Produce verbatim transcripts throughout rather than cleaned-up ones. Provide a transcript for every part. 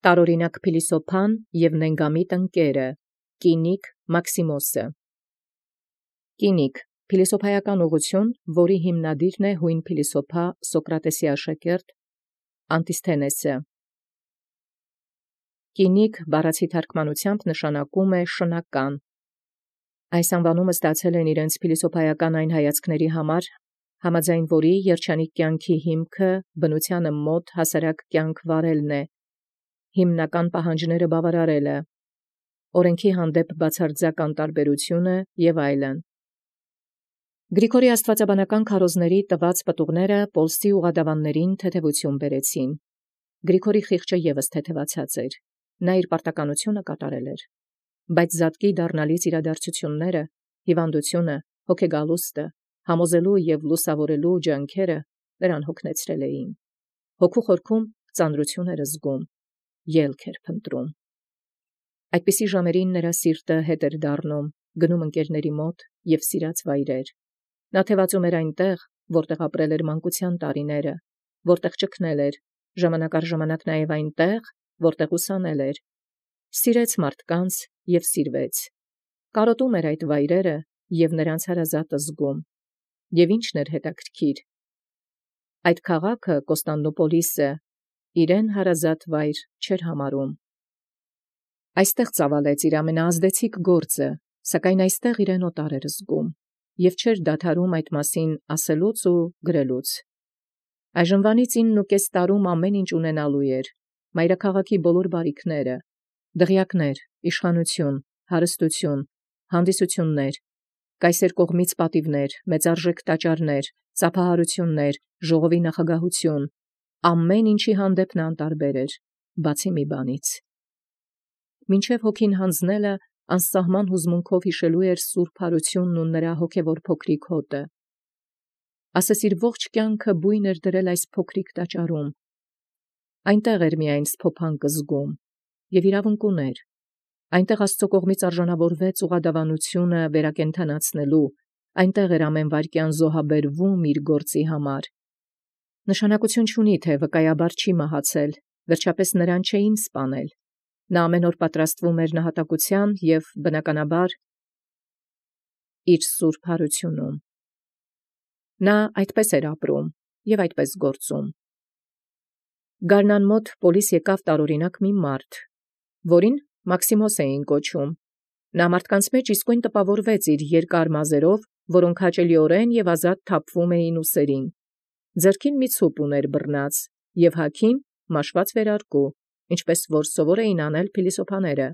Տարօրինակ Փիլիսոփան և նենգամիտ ընկերը, Կինիկ Մաքսիմոսը։ Կինիկ փիլիսոփայական ուղղություն, որի հիմնադիրն է հույն փիլիսոփա Սոկրատեսի աշակերտ Անտիսթենեսը։ Կինիկ բառացի թարգմանութեամբ նշանակում է շնական։ Այս անվանումը ստացել են իրենց փիլիսոփայական այն հայացքների համար, համաձայն որի երջանիկ կյանքի հիմքը բնութեանը մոտ հասարակ կյանք վարելն է, հիմնական պահանջները բավարարելը, օրենքի հանդեպ բացարձակ անտարբերությունը եւ այլն։ Գրիգորի աստվածաբանական քարոզների տված պտուղները Պոլսի ուղադավաններին թեթևություն բերեցին։ Գրիգորի խիղճը եւս թեթևացած էր, նա իր պարտականությունը կատարել էր, բայց զատկի դառնալից իրադարձությունները, հիվանդությունը, հոգեգալուստը, համոզելու եւ լուսավորելու ջանքերը նրան հոգնեցրել էին։ Հոգու խորքում ծանրություն էր զգում, ելք էր փնտրում։ Այդպիսի ժամերին նրա սիրտը հետ էր դառնում, գնում ընկերների մոտ եւ սիրած վայրեր։ Նա թևածում էր այնտեղ, որտեղ ապրել էր մանկության տարիները, որտեղ ճգնել էր, ժամանակ առ ժամանակ նաև այնտեղ, որտեղ ուսանել էր։ Սիրեց մարդկանց եւ սիրվեց։ Կարոտում էր այդ վայրերը եւ նրանց հարազատ զգում։ Եվ ինչն էր հետաքրքիր։ Այդ քաղաքը Կոստանդնուպոլիսը իրեն հարազատ վայր չէր համարում։ Այստեղ ծավալեց իր ամենաազդեցիկ գործը, սակայն այստեղ իրեն օտար էր զգում եւ չէր դադարում այդ մասին ասելուց ու գրելուց։ Այժմվանից իննուկես տարում ամեն ինչ ունենալու էր, մայրաքաղաքի բոլոր բարիքները, դղյակներ, իշխանություն, հարստություն, հանդիսություններ, կայսեր կողմից պատիվներ, մեծարժեք տաճարներ, ծափահարություններ, ժողովի նախագահություն, ամեն ինչի հանդեպ նա անտարբեր էր, բացի մի բանից։ Մինչև հոգին հանձնելը անսահման հուզմունքով հիշելու էր սուրբ հարությունն ու նրա հոգևոր փոքրիկ հոտը։ Ասես իր ողջ կյանքը բույն էր դրել այս փոքրիկ տաճարում։ Այնտեղ էր միայն սփոփանք զգում եւ իրավունք ուներ։ Այնտեղ Աստծո կողմից արժանավորվեց ուղադավանությունը վերակենդանացնելու, այնտեղ էր ամեն վայրկյան զոհաբերվում իր գործի համար։ Նշանակություն չունի, թե վկայաբար չի մահացել, վերջապես նրան չէին սպանել։ Նա ամեն օր պատրաստվում էր նահատակության եւ բնականաբար իր սուրբ հարությունում։ Նա այդպես էր ապրում եւ այդպես գործում։ Գարնան մոտ Պոլիս եկավ տարօրինակ մի մարդ, որին Մաքսիմոս էին կոչում։ Նա մարդկանց մեջ իսկույն տպավորվեց իր երկար մազերով, որոնք հաճելիորեն եւ ազատ թափվում էին ուսերին։ Ձեռքին մի ցուպ ուներ բռնած եւ հագին մաշված վերարկու, ինչպես որ սովոր էին անել փիլիսոփաները։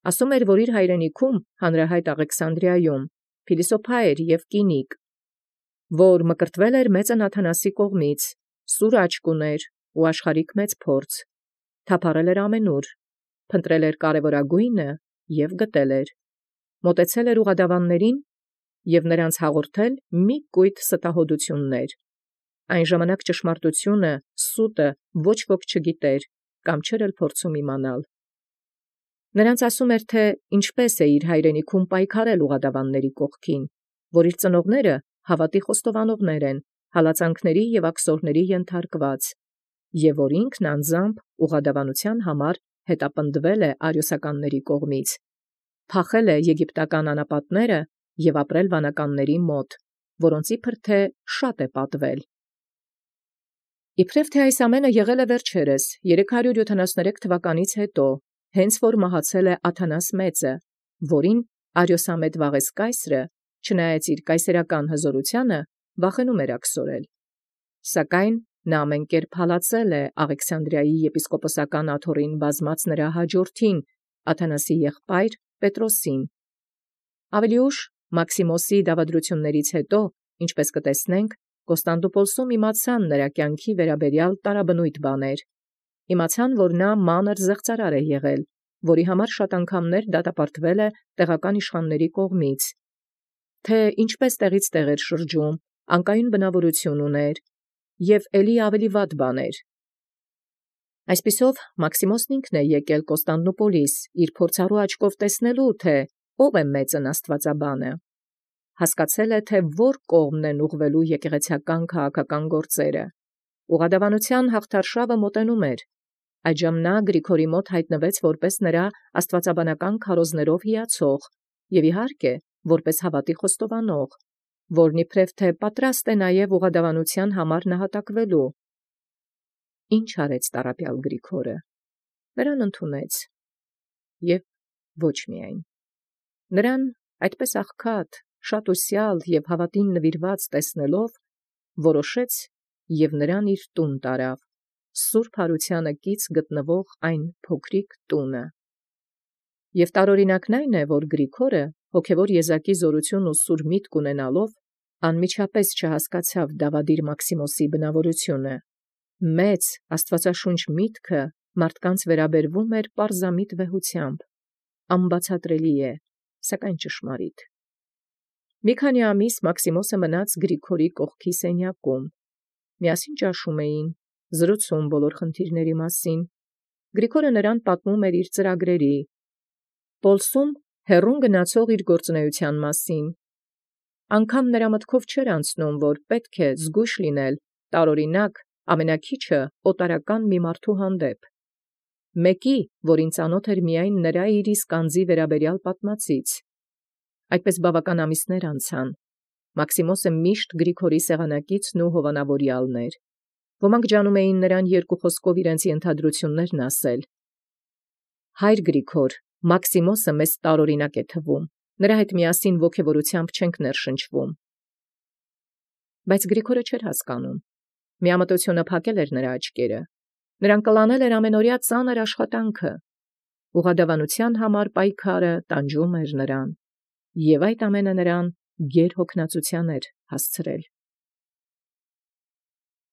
Ասում էր, որ իր հայրենիքում հանրահայտ Աղեքսանդրիայում փիլիսոփա էր եւ կինիկ, որ մկրտվել էր մեծն Աթանասի կողմից, սուր աչք ուներ ու աշխարհիկ մեծ փորձ, թափառել էր ամենուր, փնտրել էր կարևորագույնը եւ գտել էր, մոտեցել էր ուղադավաններին եւ նրանց հաղորդել մի կույտ ստահոդություններ։ Այն ժամանակ ճշմարտությունը, սուտը ոչ ոք չգիտեր կամ չէր էլ փորձում իմանալ։ Նրանց ասում էր, թե ինչպես է իր հայրենիքում պայքարել ուղադավանների կողքին, որ իր ծնողները հավատի խոստովանողներ են, հալածանքների եւ աքսորների ենթարկված, եւ որ ինքն անձամբ ուղադավանության համար հետապնդվել է արիոսականների կողմից, փախել է եգիպտական անապատները եւ ապրել վանականների մոտ, որոնց իբր թե շատ է պատվել։ Իբրև թե այս ամենը եղել է վերջերս երեք հարյուր յոթանասուներեք թվականից հետո, հենց որ մահացել է Աթանաս մեծը, որին արիոսամետ Վաղես կայսրը, չնայած իր կայսերական հզորությանը, վախենում էր աքսորել։ Սակայն նա ամենկերպ հալածել է Աղեքսանդրիայի եպիսկոպոսական աթոռին բազմած նրա հաջորդին, Աթանասի եղբայր Պետրոսին։ Ավելի ուշ Մաքսիմոսի դավադրություններից հետո, ինչպես կտեսնենք, Կոստանդնուպոլսում իմացան նրա կյանքի վերաբերյալ տարաբնույթ բաներ։ Իմացան, որ նա մանր զեղծարար է եղել, որի համար շատ անգամներ դատապարտվել է տեղական իշխանների կողմից, թե ինչպես տեղից տեղ էր շրջում, անկայուն բնավորություն ուներ եւ ելի ավելի վատ բաներ։ Այսպիսով Մաքսիմոսն ինքն է եկել Կոստանդնուպոլիս իր փորձառու աչքով տեսնելու, թե ով է մեծն աստվածաբանը։ Հասկացել է, թե որ կողմն են ուղղվելու եկեղեցական քաղաքական գործերը։ Ուղադավանության հաղթարշավը մոտենում էր, Այժմ նա Գրիգորի մոտ հայտնվեց որպես նրա աստվածաբանական քարոզներով հիացող, և իհարկե որպես հավատի խոստովանող, որն իբրև թե պատրաստ է նաև ուղղադավանության համար նահատակվելու։ Ինչ արեց տառապյալ Գրիգորը։ Նրան ընդունեց, և ոչ միայն։ Նրան այդպես աղքատ, շատ ուսյալ և հավատին նվիրված տեսնելով, որոշեց և նրան իր տուն տարավ, սուրբ հարությանը կից գտնվող այն փոքրիկ տունը։ Եվ տարօրինակն այն է, որ Գրիգորը հոգևոր եզակի զորություն ու սուր միտք ունենալով, անմիջապես չհասկացավ Դավադիր Մաքսիմոսի բնավորությունը։ Մեծ աստվածաշունչ միտքը մարդկանց վերաբերվում էր պարզամիտ վեհությամբ, անբացատրելի է, սակայն ճշմարիտ։ Մի քանի ամիս Մաքսիմոսը մնաց Գրիգորի կողքի սենյակում։ Միասին ճաշում էին, զրուցում բոլոր խնդիրների մասին։ Գրիգորը նրան պատմում էր իր ծրագրերի, Պոլսում հեռուն գնացող իր գործունեության մասին։ Անգամ նրա մտքով չէր անցնում, որ պետք է զգույշ լինել տարօրինակ ամենաքիչը օտարական մի մարդու հանդեպ, մեկի, որին ծանոթ էր միայն նրա իր իսկ անձի վերաբերյալ պատմածից։ Այդպես բավական ամիսներ անցան։ Մաքսիմոսը միշտ Գրիգորի սեղանակիցն ու հովանավորյալն էր։ Ոմանք ջանում էին նրան երկու խոսքով իրենց ենթադրություններն ասել։ Հայր Գրիգոր, Մաքսիմոսը մեզ տարօրինակ է թվում, նրա հետ միասին ոգևորությամբ չենք ներշնչվում։ Բայց Գրիգորը չէր հասկանում։ Միամտությունը փակել էր նրա աչքերը։ Նրան կլանել էր ամենօրյա ծանր աշխատանքը։ Ուղղադավանության համար պայքարը տանջում էր նրան, և այդ ամենը նրան գերհոգնածության էր հասցրել։